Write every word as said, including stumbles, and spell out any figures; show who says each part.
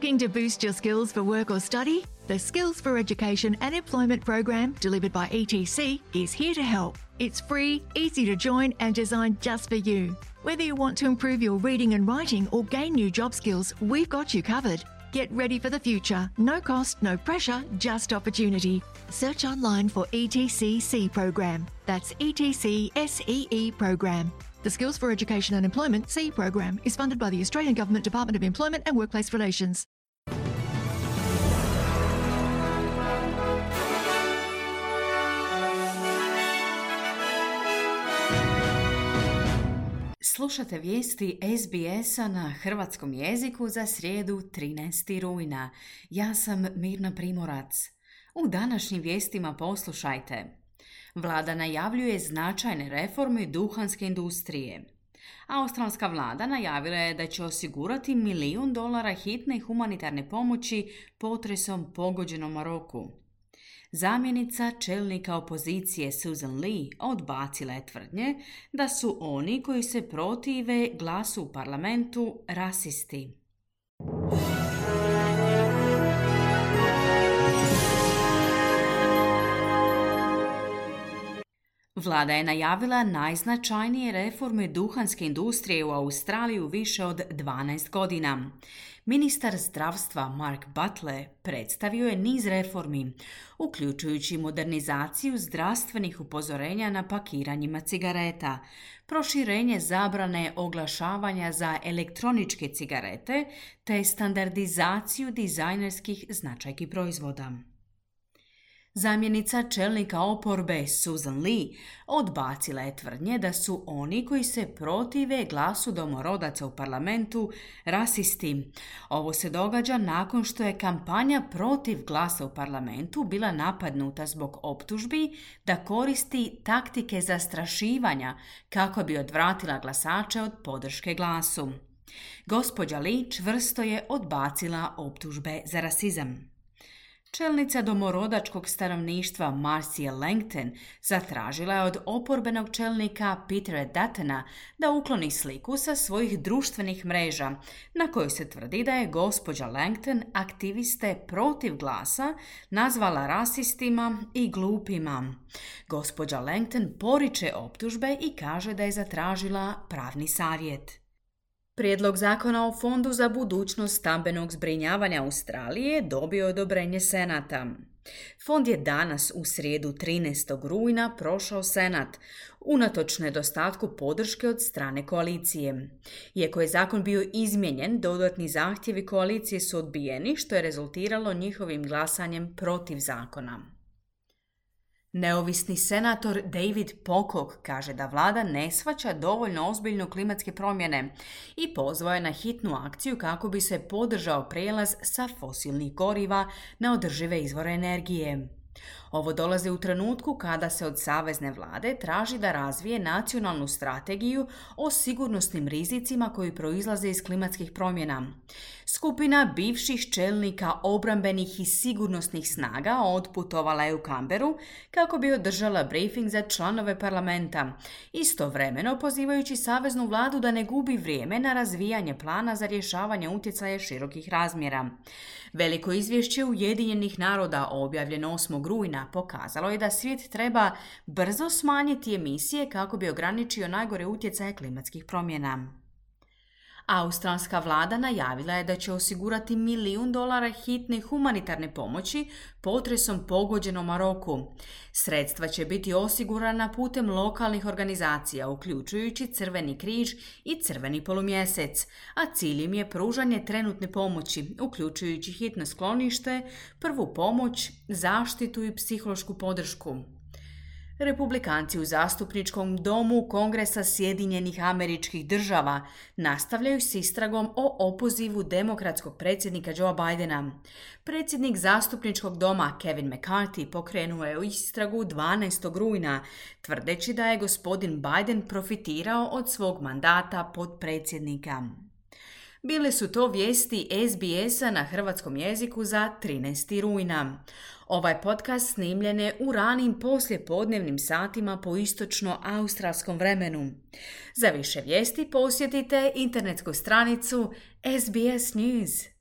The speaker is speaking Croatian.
Speaker 1: Looking to boost your skills for work or study? The Skills for Education and Employment program delivered by E T C is here to help. It's free, easy to join and designed just for you. Whether you want to improve your reading and writing or gain new job skills, we've got you covered. Get ready for the future. No cost, no pressure, just opportunity. Search online for E T C C program. That's E T C S E E program. The Skills for Education and Employment C program is funded by the Australian Government Department of Employment and Workplace Relations.
Speaker 2: Slušate vijesti S B S-a na hrvatskom jeziku za srijedu trinaestog rujna. Ja sam Mirna Primorac. U današnjim vijestima poslušajte. Vlada najavljuje značajne reforme duhanske industrije. Australska vlada najavila je da će osigurati milijun dolara hitne humanitarne pomoći potresom pogođenom Maroku. Zamjenica čelnika opozicije Susan Lee odbacila je tvrdnje da su oni koji se protive glasu u parlamentu rasisti. Vlada je najavila najznačajnije reforme duhanske industrije u Australiji u više od dvanaest godina. Ministar zdravstva Mark Butler predstavio je niz reformi, uključujući modernizaciju zdravstvenih upozorenja na pakiranjima cigareta, proširenje zabrane oglašavanja za elektroničke cigarete te standardizaciju dizajnerskih značajki proizvoda. Zamjenica čelnika oporbe Susan Lee odbacila je tvrdnje da su oni koji se protive glasu domorodaca u parlamentu rasisti. Ovo se događa nakon što je kampanja protiv glasa u parlamentu bila napadnuta zbog optužbi da koristi taktike zastrašivanja kako bi odvratila glasače od podrške glasu. Gospođa Lee čvrsto je odbacila optužbe za rasizam. Čelnica domorodačkog stanovništva Marcia Langton zatražila je od oporbenog čelnika Petera Duttona da ukloni sliku sa svojih društvenih mreža, na kojoj se tvrdi da je gospođa Langton aktiviste protiv glasa nazvala rasistima i glupima. Gospođa Langton poriče optužbe i kaže da je zatražila pravni savjet. Prijedlog zakona o Fondu za budućnost stambenog zbrinjavanja Australije dobio je odobrenje Senata. Fond je danas u srijedu trinaestog rujna prošao Senat, unatoč nedostatku podrške od strane koalicije. Iako je zakon bio izmijenjen, dodatni zahtjevi koalicije su odbijeni, što je rezultiralo njihovim glasanjem protiv zakona. Neovisni senator David Pocock kaže da vlada ne shvaća dovoljno ozbiljno klimatske promjene i pozvao je na hitnu akciju kako bi se podržao prijelaz sa fosilnih goriva na održive izvore energije. Ovo dolazi u trenutku kada se od savezne vlade traži da razvije nacionalnu strategiju o sigurnosnim rizicima koji proizlaze iz klimatskih promjena. Skupina bivših čelnika obrambenih i sigurnosnih snaga otputovala je u Canberru kako bi održala briefing za članove parlamenta, istovremeno pozivajući saveznu vladu da ne gubi vrijeme na razvijanje plana za rješavanje utjecaja širokih razmjera. Veliko izvješće Ujedinjenih naroda objavljeno osmog rujna pokazalo je da svijet treba brzo smanjiti emisije kako bi ograničio najgore utjecaje klimatskih promjena. Australska vlada najavila je da će osigurati milijun dolara hitne humanitarne pomoći potresom pogođenom Maroku. Sredstva će biti osigurana putem lokalnih organizacija, uključujući Crveni križ i Crveni polumjesec, a cilj im je pružanje trenutne pomoći, uključujući hitno sklonište, prvu pomoć, zaštitu i psihološku podršku. Republikanci u zastupničkom domu Kongresa Sjedinjenih Američkih Država nastavljaju s istragom o opozivu demokratskog predsjednika Joea Bidena. Predsjednik zastupničkog doma Kevin McCarthy pokrenuo je istragu dvanaestog rujna, tvrdeći da je gospodin Biden profitirao od svog mandata potpredsjednika. Bile su to vijesti S B S-a na hrvatskom jeziku za trinaestog rujna. Ovaj podcast snimljen je u ranim poslijepodnevnim satima po istočno-australskom vremenu. Za više vijesti posjetite internetsku stranicu S B S News.